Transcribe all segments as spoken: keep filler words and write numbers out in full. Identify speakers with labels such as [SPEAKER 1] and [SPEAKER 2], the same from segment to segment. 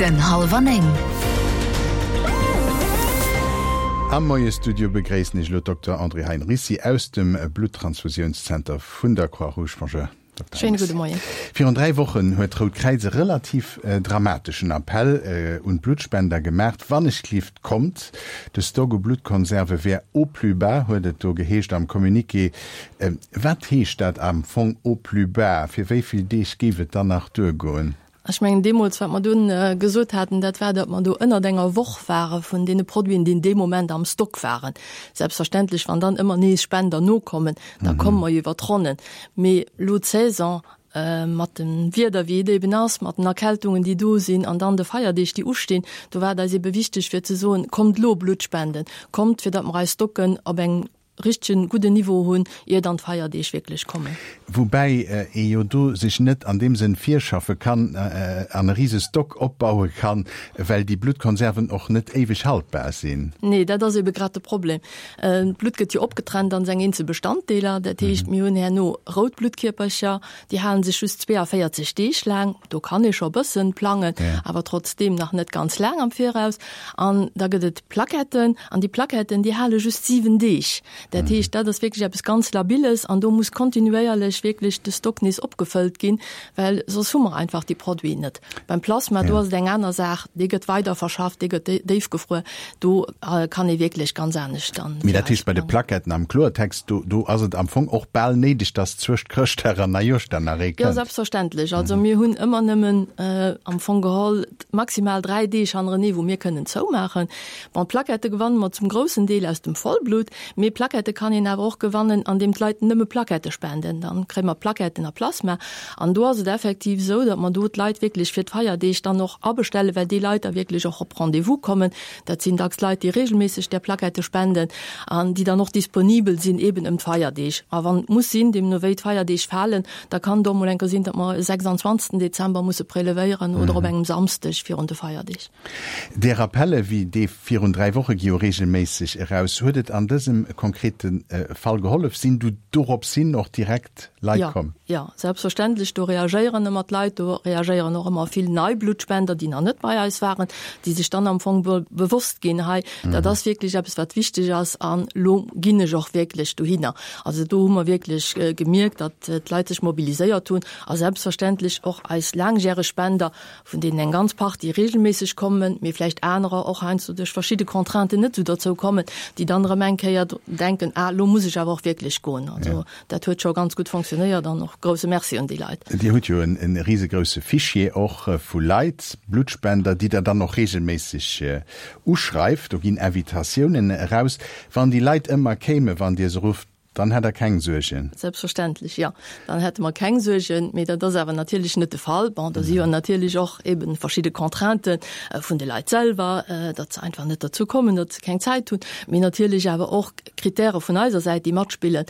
[SPEAKER 1] Den Hallwer Néng.
[SPEAKER 2] Am Moie-Studio begréissen ech elo Dokter Andrée Heinricy aus dem Bluttransfusiounszenter vun der Croix-Rouge. Bonjour, Dokter
[SPEAKER 3] Schéine gudde Moien.
[SPEAKER 2] Virun dräi Wochen huet d'Rout Kräiz e relativ dramateschen Appell un d'Bluttspender gemaacht, Wannechgelift kommt, de Stock u Bluttkonserve wär au plus bas, huet et do geheescht am Communiqué. Wat heescht dat am Fong au plus bas? Fir wéi vill Deeg géif et dann nach duergoen?
[SPEAKER 3] Ech mengen, deemools, wat mer dunn gesot haten, dat war, datt mer do ënnert enger Woch ware vun deene Produiten, déi dee Moment am Stock waren. Selbstverständlech, wann dann ëmmer nees Spender nokommen, da komme mer jo iwwer d'Ronnen. Mee elo d'Saison, mat dem Wieder, wéi et eben ass, mat den Erkältungen, déi do sinn, an dann de Feierdeeg, déi ustinn, do war et eis ebe wichteg, fir ze soen, Kommt elo Blutt spenden, kommt, fir datt mer eis Stocken op engem richtegen gudden Niveau hunn, ier dann d'Feierdeeg wierklech kommen.
[SPEAKER 2] Woubäi ee jo do sech net an deem Sënn virschaffe kann an e rise Stock opbaue kann, well déi Bluttkonserven och net éiweg haltbar sinn.
[SPEAKER 3] Nee, dat ass ebe grad de Problem. D'Blutt gëtt jo opgetrennt an seng eenzel Bestanddeeler. Dat heescht, mir hunn herno rout Bluttkierpercher, déi hale sech just zweeavéierzeg Deeg laang. Do kann ee scho e bëssen plangen, awer trotzdeem nach net ganz laang am Viraus. An da gëtt et Plaquetten, an déi Plaquetten, déi hale just siwen Deeg. Dat heescht, dat ass wierklech eppes ganz Labilles an do muss kontinuéierlech wierklech de Stock nees opgefëllt ginn, well soss hu mer einfach déi Produiten net. Beim Plasma, do ass et eng aner Saach, dee gëtt weiderverschafft, dee gëtt déifgefruer, do kann ee wierklech ganz anescht dann.
[SPEAKER 2] Mee dat heescht, bei de Plaquetten am Kloertext, do, do ass et am Fong och bal néideg, dass zwëscht Chrëschtdag an Neijoerschdag nach ee
[SPEAKER 3] Jo,
[SPEAKER 2] kënnt.
[SPEAKER 3] selbstverständlech. Also mir hunn ëmmer nëmmen am Fong geholl maximal dräi Deeg hannerenee, wou mir kënnen zoumaachen. Bon, d'Plaquette gewanne mer zum groussen Deel aus dem Vollblut, mee Plaquette kann een awer och gewannen, andeem d'Leit nëmme Plaquette spenden. Dann kréie mer Plaquetten a Plasma. An do ass et effektiv esou, datt mer do d'Leit wierklech fir d'Feierdeeg dann och abestellen, well déi Leit da wierklech och op Rendez-vous kommen. Dat sinn dacks Leit, déi regelméisseg där Plaquette spenden an déi dann och disponibel sinn eeben ëm d'Feierdeeg. A wann et muss sinn, deemno wéi d'Feierdeeg falen, da kann et och mol eng Kéier sinn, datt mer e sechsundzwanzegsten Dezember musse prelevéieren oder op engem Samsdeg virun de Feierdeeg.
[SPEAKER 2] Där Appelle wéi dee virun dräi Woche gi jo reegelméisseg eraus. Huet et an dësem konkrete Fall gehollef? Sinn du dorops hin och direkt Leit komm?
[SPEAKER 3] Jo, selbstverständlech. Do reagéieren ëmmer d'Leit. Do reagéieren och ëmmer vill nei Bluttspender, déi nach net bei eis waren, déi sech dann am Fong bewosst ginn, hei, dat ass wierklech eppes, wat wichteg ass an elo ginn ech och wierklech dohinner. Also do hu mer wierklech gemierkt, datt d'Leit sech mobiliséiert hunn a selbstverständlech och eis laangjäreg Spender, vun deenen eng ganz Partie regelméisseg kommen, mee vläicht anerer och heiansdo duerch verschidde Contrainten net esou dozou kommen, déi dann erëm eng Kéier denken, ah, elo muss ech awer och wierklech goen. Also dat huet scho ganz gutt fonctionnéiert an och grouse Merci un déi Leit.
[SPEAKER 2] Dir hutt jo e risegrousse Fichier och vu Leit, Bluttspender, déi Der dann och regelméisseg uschreift. Do ginn Invitatiounen eraus. Wann déi Leit ëmmer kéimen, wann Dir se rufft, Dann hätt Der keng Suergen?
[SPEAKER 3] Selbstverständlech, jo. Dann hätte mer keng Suergen. Mee dat ass awer natierlech net de Fall. Bon, do si jo natierlech och eebe verschidde Contraintë vun de Leit selwer, datt se einfach net derzou kommen, datt se keng Zäit hunn. Mee natierlech awer och Kritäre vun eiser Säit, déi matspillen.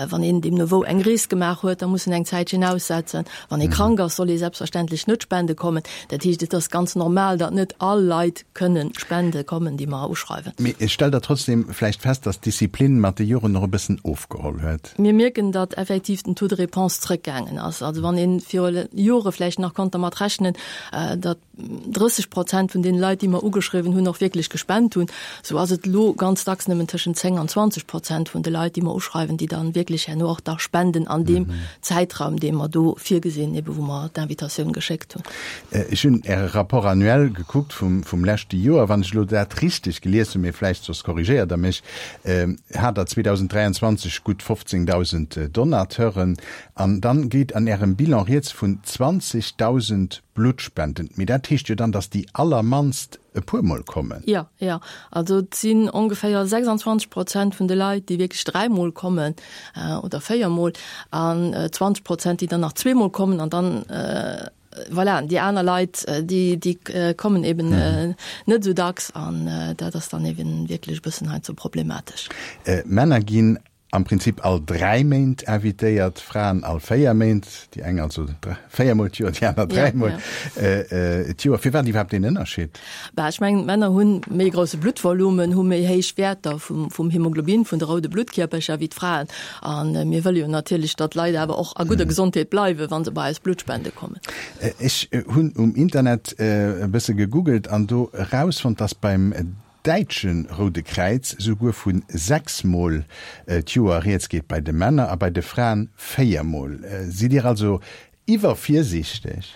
[SPEAKER 3] Wann een deemno wou eng Rees gemaach huet, da muss en eng Zäitchen aussetzen. Wann ee krank ass, soll ee selbstverständlech net spende kommen. Dat heescht, et ass ganz normal, datt net all Leit kënnen spende kommen, déi mer uschreiwen.
[SPEAKER 2] Mee stellt Der trotzdem vläicht fest, datt d'Disziplin mat de Joren och e bëssen ofgeholl huet?
[SPEAKER 3] Mir mierken, datt effektiv den Taux de réponse zrëckgaangen ass. Also wann ee viru Jore vläicht nach konnt dermat rechnen, datt drësseg Prozent vun deene Leit, déi mer ugeschriwwen hunn, och wierklech gespent hunn, esou ass et elo ganz dacks nëmmen tëschent zéng an zwanzeg Prozent vun de Leit, déi mer uschreiwen, déi dann wierklech herno och da spenden an deem Zäitraum, dee mer do virgesinn, ebe wou mer d'Invitatioun geschéckt hunn.
[SPEAKER 2] Ech hunn Äre Rapport annuel gekuckt vum, vum leschte Joer. Wann ech elo dat richteg gelies hunn, mee vläicht soss korrigéiert Der mech, hat Der zweedausend dräianzwanzeg gutt fofzéngdausend Donateuren. An dann geet an Ärem Bilan rieds vun zwanzegdausend Bluttspenden. Mee dat heescht jo dann, datt déi allermannst e puer Mol kommen.
[SPEAKER 3] Jo, jo. Also et sinn ongeféier sechsundzwanzeg Prozent vun de Leit, déi wierklech dräimol kommen oder véiermol an zwanzeg Prozent, déi dann nach zweemol kommen an dann, voilà, déi aner Leit, déi, déi kommen eben net esou dacks an dat ass dann eben wierklech e bëssen heiansdo problematesch.
[SPEAKER 2] Männer ginn am Prinzip all dräi Méint invitéiert, Fraen all véier Méint, déi eng also véiermol d'Joer, déi aner dräimol d'Joer. Firwat iwwerhaapt deen Ënnerscheed?
[SPEAKER 3] Bah, ech mengen, d'Männer hu méi grousse Bluttvolumen, hu méi héich Wäerter vum, vum Hämoglobin, vun de roude Bluttkierpercher, wéi d'Fraen. A mir wëlle jo natierlech, datt d'Leit awer och a gudder Gesondheet bleiwen, wa se bei eis Blutt spende kommen.
[SPEAKER 2] Ech hunn um Internet e bësse gegoogelt an do erausfonnt, datt beim Däitsche Roude Kräiz souguer vu sechs Mol d'Joer rieds geet bei de Männer a bei de Fraen véier Mol. Sidd Dir also iwwervirsiichteg?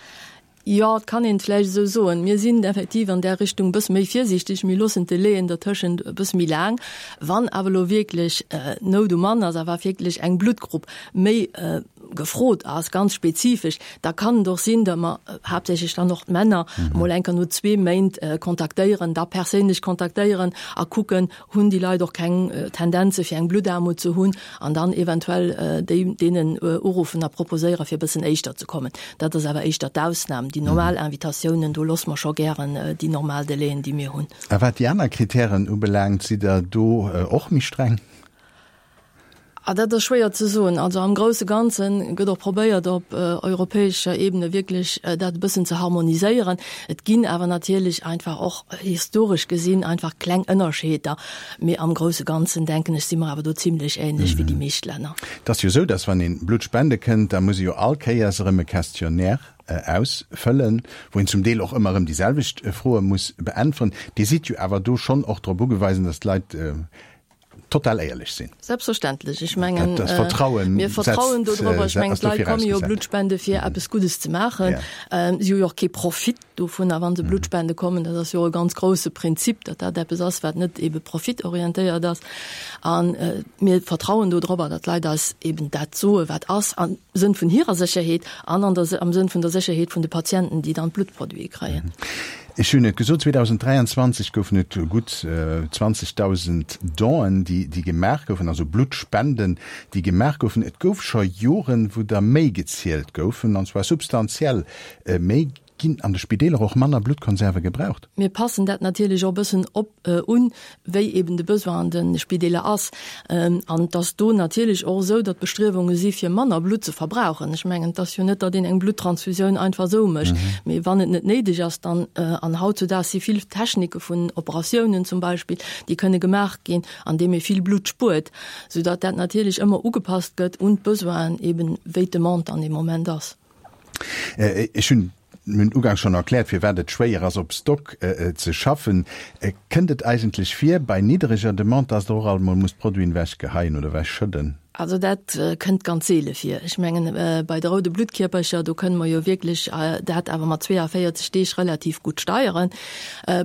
[SPEAKER 3] Jo, et kann een et vläicht esou soen. Mir sinn effektiv an där Richtung e bësse méi virsiichteg. Mir loossen d'Delaien dertëschent e bësse méi laang. Wann awer elo wierklech Nout um Mann ass a wa wierklech eng Bluttgrupp méi gefrot ass, ganz spezifesch, da kann et och sinn, datt mer haaptsächlech dann och d'Männer emol eng Kéier no zwee Méint kontaktéieren, da perséinlech kontaktéieren a kucken, hunn déi Leit och keng Tendenze fir eng Bluttaarmut ze hunn, an dann eventuell déi deenen uruffen a proposéieren, fir e bëssen éischter ze kommen. Dat ass awer éischter d'Ausnam. Déi normal Invitatiounen, do loosse mer scho gären déi normal Delaien, déi mir hunn.
[SPEAKER 2] A wat déi aner Kritären ubelaangt, sidd Der do och méi streng?
[SPEAKER 3] Ah, dat ass schwéier ze soen. Also am grousse Ganze gëtt och probéiert, op europäescher Ebene wierklech dat e bëssen ze harmoniséieren. Et ginn awer natierlech einfach och historesch gesinn einfach kleng Ënnerscheeder. Mee am grousse Ganzen, denken ech, si mer awer do zimlech ähnlech wéi déi meescht Länner.
[SPEAKER 2] Et ass jo esou, dass wann ee Blutt spende kënnt, da muss ee jo all Kéiers erëm e Questionnaire ausfëllen, wou een zum Deel och ëmmer erëm déi selwecht Froe muss beäntweren. Dir sidd jo awer do schonn och drop ugewisen, dass d'Leit total éierlech sinn.
[SPEAKER 3] Selbstverständlech. Ech mengen,
[SPEAKER 2] Dat Vertrauen
[SPEAKER 3] mir vertrauen
[SPEAKER 2] setzt,
[SPEAKER 3] do drop. Ech
[SPEAKER 2] äh,
[SPEAKER 3] mengen,
[SPEAKER 2] ass do
[SPEAKER 3] d'Leit komme jo
[SPEAKER 2] virausgesat.
[SPEAKER 3] Blutt spende fir eppes Guddes ze maachen.
[SPEAKER 2] Ja.
[SPEAKER 3] Si hu jo och kee Profit dovunner, wa se Blutt spende kommen. Dat ass jo e ganz grousse Prinzip, datt dat eppes ass, wat net ebe profitorientéiert ass. An mir vertrauen do drobber, datt d'Leit eis eben dat soe wat ass, am Sënn vun hirer Sécherheet an an der, am Sënn vun der Sécherheet vun de Patienten, déi dann d'Bluttproduite kréien.
[SPEAKER 2] Ech hunn et gesot, zweedausenddräianzwanzeg goufen et gutt zwanzegdausend Donen, déi, déi gemaach goufen, also Bluttspenden, déi gemaach goufen. Et gouf scho Joren, wou der méi gezielt goufen, an zwar substantiell méi. Ginn an de Spideeler och manner Bluttkonserve gebraucht?
[SPEAKER 3] Mir passen dat natierlech och e bëssen op un, wéi eben de Besoin an de Spideeler ass. An et ass do natierlech och esou, datt Bestriewunge si fir manner Blutt ze verbrauchen. Ech mengen, et ass jo net, datt een eng Bluttransfusioun einfach esou mécht, mee wann et net néideg ass, dann, an hautzudaags si vill Technike vun Operatiounen zum Beispill, déi kënne gemaach ginn, andeem ee vill Blutt spuert, soudatt dat natierlech ëmmer ugepasst gëtt un d'Besoinen, eben wéi d'Demande an deem Moment ass.
[SPEAKER 2] Ech hunn mir hunn ugangs schonn erkläert, firwat et schwéier ass, op Stock ze schaffen. Kënnt et eigentlech vir bei niddereger Demande, dass Der och alt mol musst Produiten ewechgeheien oder ewechschëdden?
[SPEAKER 3] Also dat kënnt ganz seele vir. Ech mengen, bei de roude Bluttkierpercher, do kënne mer jo wierklech dat awer mat zweeavéierzeg Deeg relativ gutt steieren.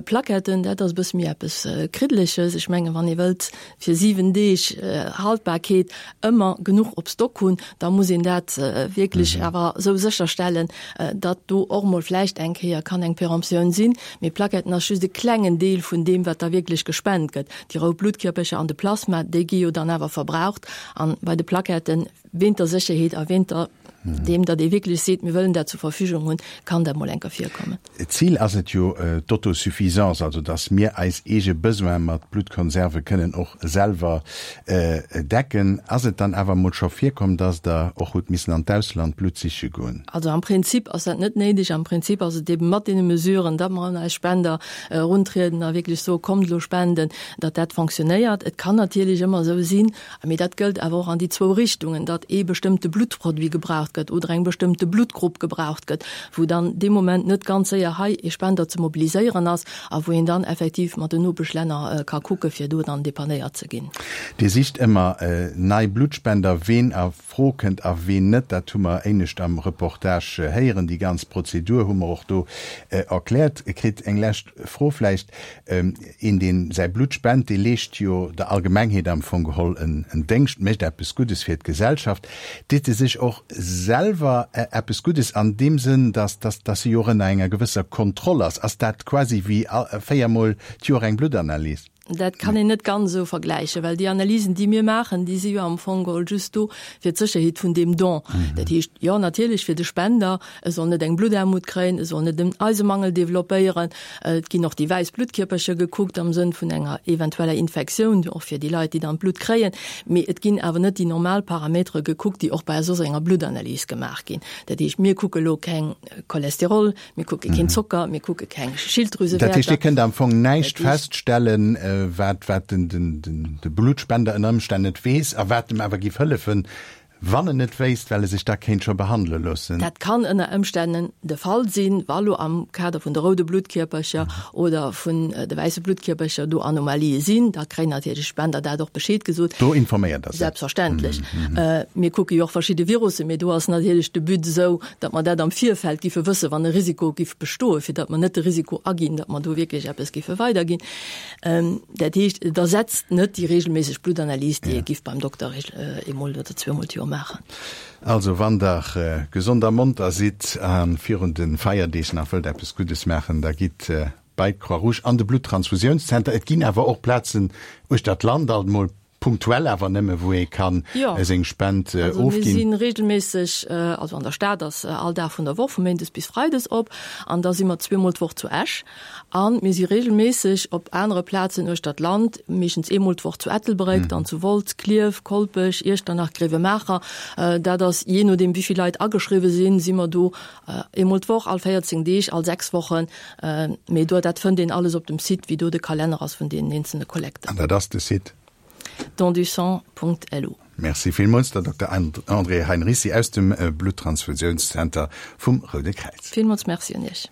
[SPEAKER 3] Plaquetten, dat ass e bësse méi eppes Kriddeleches. Ech mengen, wann ee wëllt fir siwen Deeg Haltbarkeet ëmmer genuch op Stock hunn, da muss een dat wierklech awer esou sécherstellen, datt do och mol vläicht eng Kéier kann eng Péremptioun sinn. Mee Plaquetten ass just e klengen Deel vun deem, wat da wierklech gespent gëtt. Déi rout Bluttkierpercher an de Plasma, déi gi jo dann awer verbraucht. An bei de Plaquetten, wéint der Sécherheet a wéint der deem, datt ee wierklech seet, mir wëllen dat zur Verfügung hunn, kann dat mol eng Kéier virkommen.
[SPEAKER 2] D'Zil ass et jo d'Autosuffisance, also datt mir eis eege Besoine mat Bluttkonserve kënnen och selwer decken. Ass et dann awer mol scho virkomm, datt Der och hutt missen an d'Ausland Blutt siche goen?
[SPEAKER 3] Also am Prinzip ass dat net néideg. Am Prinzip ass et eeben mat deene Mesuren, datt mer un eis Spender eruntrieden a wierklech soe kommt elo spenden, datt dat fonctionnéiert. Et kann natierlech ëmmer esou sinn, mee dat gëllt awer och an déi zwou Richtungen, datt ee bestëmmte Bluttproduit gebraucht gëtt oder eng bestëmmte Bluttgrupp gebraucht gëtt, wou dann dee Moment net ganz séier hei ee Spender ze mobiliséieren ass a wou een dann effektiv mat den Nopeschlänner ka kucke fir do dann depannéiert ze ginn.
[SPEAKER 2] Dir sicht ëmmer nei Bluttspender. Ween a Fro kënnt a ween net, dat hu mer éinescht am Reportage héieren. Déi ganz Prozedur hu mer och do erkläert kritt. Eng lescht Fro vläicht, Een, dee säi Blutt spent, dee leescht jo der Allgemengheet am Fong geholl en Déngscht, mécht eppes Guddes fir d'Gesellschaft. Deet e sech och selwer eppes Guddes an deem Sënn, dass, dass, dass e jo och ënner enger gewësser Kontroll ass? Ass dat quasi wéi véier Mol d'Joer eng Bluttanalys?
[SPEAKER 3] Dat kann een net ganz esou vergläichen, well déi Analysen, déi mir maachen, déi si jo am Fong geholl just do fir d'Sécherheet vun deem Don. Dat heescht, jo, natierlech fir de Spender, e soll net eng Bluttaarmut kréien, e soll net en Eisemangel developpéieren. Et ginn och déi wäiss Bluttkierpercher gekuckt am Sënn vun enger eventueller Infektioun, och fir déi Leit, déi dann d'Blutt kréien. Mee et ginn awer net déi normal Parametere gekuckt, déi och bei soss enger Bluttanalys gemaach ginn. Dat heescht, mir kucke lo keng Cholesterol, mir kucke keen Zocker, mir kucke keng Schilddrüsewäerter.
[SPEAKER 2] Dat heescht, Dir kënnt am Fong näischt feststellen, wat, wat den, den, den, de Bluttspender ënner Ëmstänn net weess a wat em awer giff hëllefen, wann en et wéisst, well e sech da kéint scho behandele loossen.
[SPEAKER 3] Dat kann ënner Ëmstännen de Fall sinn, wa lo am Kader vun de roude Bluttkierpercher oder vun de wäisse Bluttkierpercher do Anomalië sinn. Da kréien natierlech d'Spender dat och Bescheed gesot.
[SPEAKER 2] Do informéiert Der se?
[SPEAKER 3] Selbstverständlech. Mir kucke jo och verschidde Virussen, mee do ass natierlech de But esou, datt mer dat am Virfeld giffe wëssen, wann e Risiko giff bestoen, fir datt mer net de Risiko aginn, datt mer do wierklech eppes giffe weiderginn. Dat heescht, et ersetzt net déi regelméisseg Bluttanalys, déi ee giff beim Dokter eemol oder zweemol d'Joer maachen.
[SPEAKER 2] Also, wann Der gesond a monter sidd a virun de Feierdeeg nach wëllt eppes Guddes maachen, da gitt bei d'Croix-Rouge an de Bluttransfusiounszenter. Et ginn awer och Plazen uechter d'Land, alt emol punktuell awer nëmme, wou ee kann seng Spend
[SPEAKER 3] ofginn. Also mir
[SPEAKER 2] si
[SPEAKER 3] regelméisseg, also an der Stad ass all Dag vun der Woch vu méindes bis freides op an da si mer zweemol d'Woch zu Esch a mir si regelméisseg op anere Plazen uechter d'Land, meeschtens eemol d'Woch zu Ettelbréck, dann zu Wolz, Klierf, Kolpech, Iechternach, Gréiwemaacher. Dat ass jee nodeem wéi vill Leit ageschriwwe sinn, si mer do eemol d'Woch, all véierzéng Deeg, all sechs Wochen. Mee do, dat fënnt een alles op dem Site, wéi do de Kalenner ass vun deenen eenzelne Kollekten.
[SPEAKER 2] An dat ass de Site?
[SPEAKER 3] Dondusang.lu.
[SPEAKER 2] Merci villmools der Dokter Andrée Heinricy aus dem Bluttransfusiounszenter vum Roude Kräiz.
[SPEAKER 3] Villmools Merci un Iech.